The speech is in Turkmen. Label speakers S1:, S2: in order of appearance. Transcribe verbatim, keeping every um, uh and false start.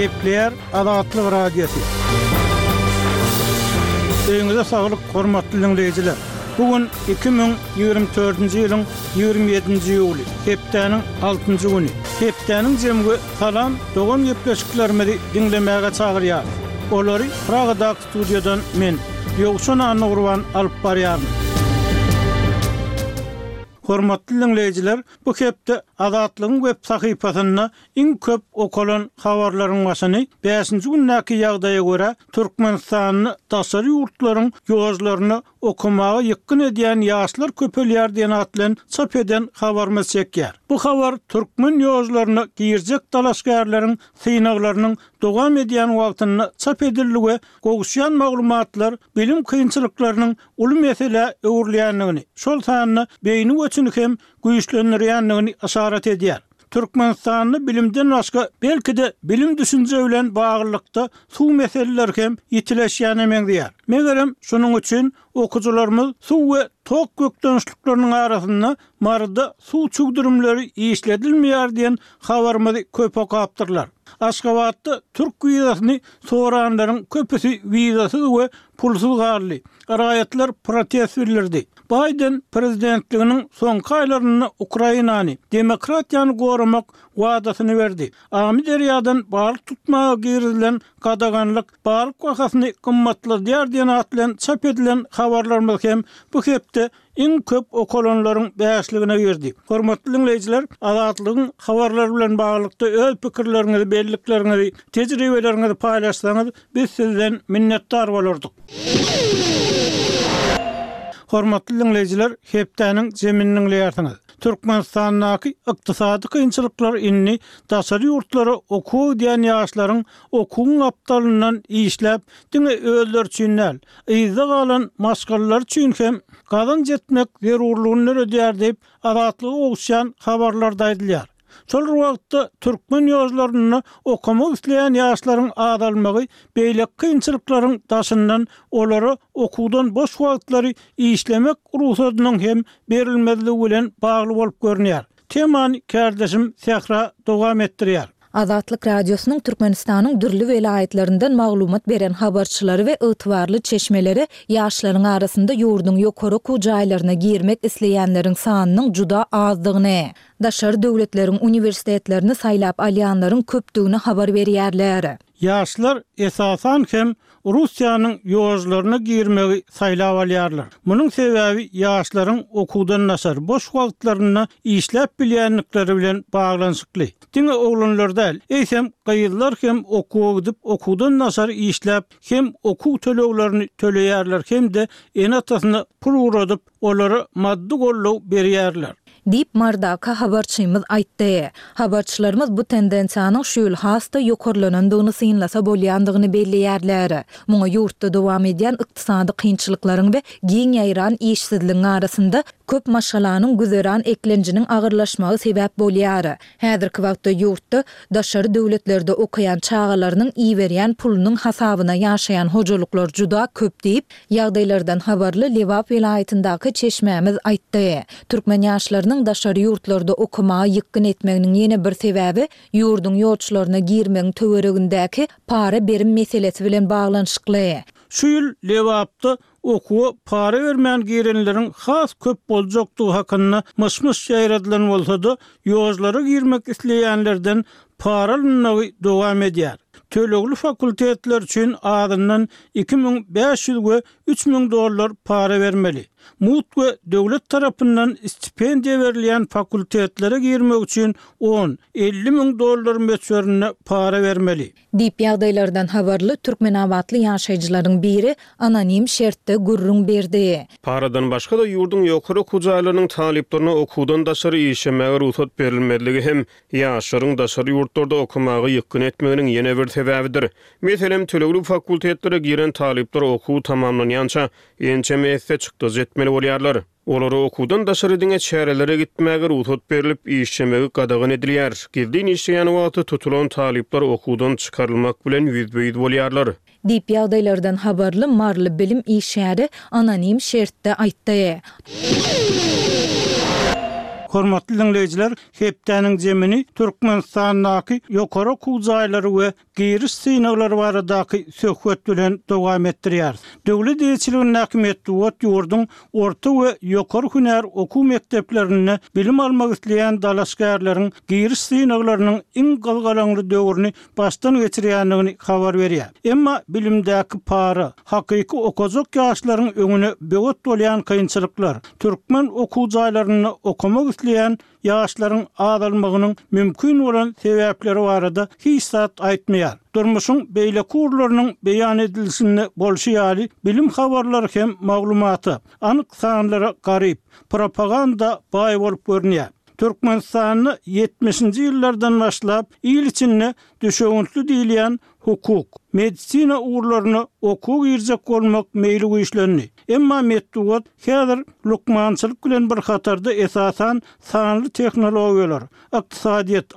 S1: Gepleýär Azatlyk Radiosy. Öýüňize saglyk, hormatly diňleýjiler. Bu gün iki müň ýigrimi dördünji ýylyň ýigrimi ýedinji iýuly, hepdäniň altynjy güni. Hepdäniň jemi we Salam dogan gepleşiklerimizi diňlemäge çagyrýarys. Olary Pragadaky studiýadan men, Ýowşan Annagurban alyp barýaryn. Hormatly diňleýjiler, bu hepde Azatlygyň web sahypasynda iň köp okalan habarlaryň başyny bäşinji gündäki ýagdaýa görä Türkmenistanda daşary ýurtlaryň ýollaryny okamaga ýykgyn edýän ýaşlar köpelýär diýen at bilen çap eden habarymyz çekýär. Bu habar türkmen ýollaryna girjek dalaşgärleriň synaglarynyň dowam edýän wagtynda çap edildi we gowuşýan maglumatlar bilim kynçylyklarynyň uly meselä öwrülýändigini, şol sanda beýni göçüni hem güýçlendirýändigini yşarat edýär. Türkmenistanda bilimden başga belki-de bilim düşünje bilen baglylykda suw meseleleri hem ýitileşýäne meňzeýär. Megerem şunuň üçin okuwçylarymyz suw we tok kökdenişlikleriniň arasynda Maryda suw çüwdürimleri işledilmeýär diýen habarymyzy köp okapdyrlar. Aşgabatda türk wizasyny soranlaryň köpüsi wizasyz we pulsuz galdy. Raýatlar protest bildirdi. Baýden prezidentliginiň soňky aýlarynda Ukrainany, demokratiýany goramak wadasyny berdi. Amyderýadan balyk tutmaga girizilen gadaganlyk balyk bahasyny gymmatladýar diýen at bilen çap edilen habarlarymyz hem bu hepde iň köp okalanlaryň bäşligine girdi. Hormatly diňleýjiler, Azatlygyň habarlary bilen baglylykda öz pikirleriňizi, bellikleriňizi, tejribeleriňizi paýlaşsaňyz, biz sizden minnetdar bolardyk. Hormatly diňleýjiler, hepdäniň jemini diňleýärsiňiz. Türkmenistandaky ykdysady kynçylyklar indi daşary ýurtlara okuwa gidýän ýaşlaryň okuwyň gapdalyndan işläp, diňe özleri üçin däl, yzda galan maşgalalary üçin hem gazanç etmek zerurlygyny döredýär diýip, Azatlyga gowuşýan habarlarda aýdylýar. Şol bir wagtda, türkmen ýollarynda okamak isleýän ýaşlaryň azalmagy beýleki kynçylyklaryň daşyndan olara okuwdan boş wagtlary işlemek rugsadynyň hem berilmezligi bilen bagly bolup görünýär. Temany kärdeşim Sähra dowam etdirýär.
S2: Azatlyk Radiosynyň Türkmenistanyň dürli welaýatlaryndan maglumat beren habarçylary we ygtybarly çeşmeleri ýaşlaryň arasynda ýurduň ýokary okuw jaýlaryna girmek isleýänleriň sanynyň juda azdygyny, daşary döwletleriň uniwersitetlerini saýlap alýanlaryň köpdügini habar berýärler.
S1: Ýaşlar esasan hem Russiýanyň ýolalaryna girmegi saýlap alýarlar. Munuň sebäbi ýaşlaryň okuwdan daşary boş wagtlarynda işläp bilýändikleri bilen baglanyşykly. Diňe oglanlar däl, eýsem gyzlar hem okuwa gidip, okuwdan daşary işläp, hem okuw töleglerini töleýärler hem-de ene-atasyna pul ugradyp, olara maddy goldaw berýärler.
S2: Diýip, Marydaky habarçymyz aýtdy. Habarçylarymyz bu tendensiýanyň şu ýyl has-da ýokarlanandygyny synlasa bolýandygyny belleýärler. Muňa ýurtda dowam edýän ykdysady kynçylyklaryň we giň ýaýran işsizligiň arasynda köp maşgalanyň güzeran eklenjiniň agyrlaşmagy sebäp bolýar. Häzirki wagtda ýurtda daşary döwletlerde okaýan çagalarynyň iberýän pulunyň hasabyna ýaşaýan hojalyklar juda köp diýip, ýagdaýlardan habarly Lebap welaýatyndaky çeşmämiz aýtdy. Türkmen ýaşlarynyň daşary ýurtlarda okamaga ýykgyn etmeginiň ýene bir sebäbi ýurduň ýolçularyna girmegiň töweregindäki para-berim meselesi bilen baglanyşykly.
S1: Şu ýyl Lebapda okuwa para bermän girenleriň has köp boljakdygy hakynda myş-myş ýaýradylan bolsa-da, ýollara girmek isleýänlerden para alynmagy dowam edýär. Tölegli fakultetler üçin azyndan iki müň bäş ýüz we üç müň dollar para bermeli. Mugt we döwlet tarapyndan stipendiýa berilýän fakultetlere girmek üçin on, elli müň dollar möçberinde para bermeli.
S2: Diýip, ýagdaýlardan habarly türkmenabatly ýaşaýjylaryň biri anonim şertde gürrüň berdi.
S3: Paradan başga-da, ýurduň ýokary okuw jaýlarynyň talyplaryna okuwdan daşary işlemäge rugsat berilmezligi hem ýaşlaryň daşary ýurtlarda okamaga ýykgyn etmeginiň ýene bir sebäbidir. Meselem, tölegli fakultetlere giren talyplar okuw tamamlanýança ençeme esse çykdajy etmeli bolýarlar. Olara okuwdan daşary diňe çärelere gitmäge rugsat berlip, işlemegi gadagan edilýär. Gizlin işleýän wagty tutulan talyplar okuwdan çykarylmak bilen ýüzbe-ýüz bolýarlar.
S2: Diýip, ýagdaýlardan habarly maryly bilim işgäri anonim şertde aýtdy.
S1: Hormatly diňleýjiler, hepdäniň jemini Türkmenistandaky ýokary okuw jaýlary we giriş synaglary baradaky söhbet bilen dowam etdirýäris. Döwlet eýeçiligindäki metbugat ýurduň orta we ýokary hünär okuw mekdeplerinde bilim almak isleýän dalaşgärleriň giriş synaglarynyň iň gyzgalaňly döwrüni başdan geçirýändigini habar berýär. Emma bilimdäki para, hakyky okajak ýaşlaryň öňüne böwet bolýan kynçylyklar, türkmen okuw jaýlarynda okamak isleýän ýaşlaryň azalmagynyň mümkin bolan sebäpleri barada hiç zat aýtmaýar. Durmuşyň beýleki ugurlarynyň beýan edilişinde bolşy ýaly, bilim habarlary hem maglumata, anyk sanlara garyp, propaganda baý bolup görünýär. Türkmenistanda ýetmişinji ýyllardan başlap il içinde düşewüntli diýilýän hukuk, medisina ugurlaryna okuwa girjek bolmak meýli güýçlendi. Emma metbugat häzir lukmançylyk bilen bir hatarda esasan sanly tehnologiýalar, ykdysadyýet,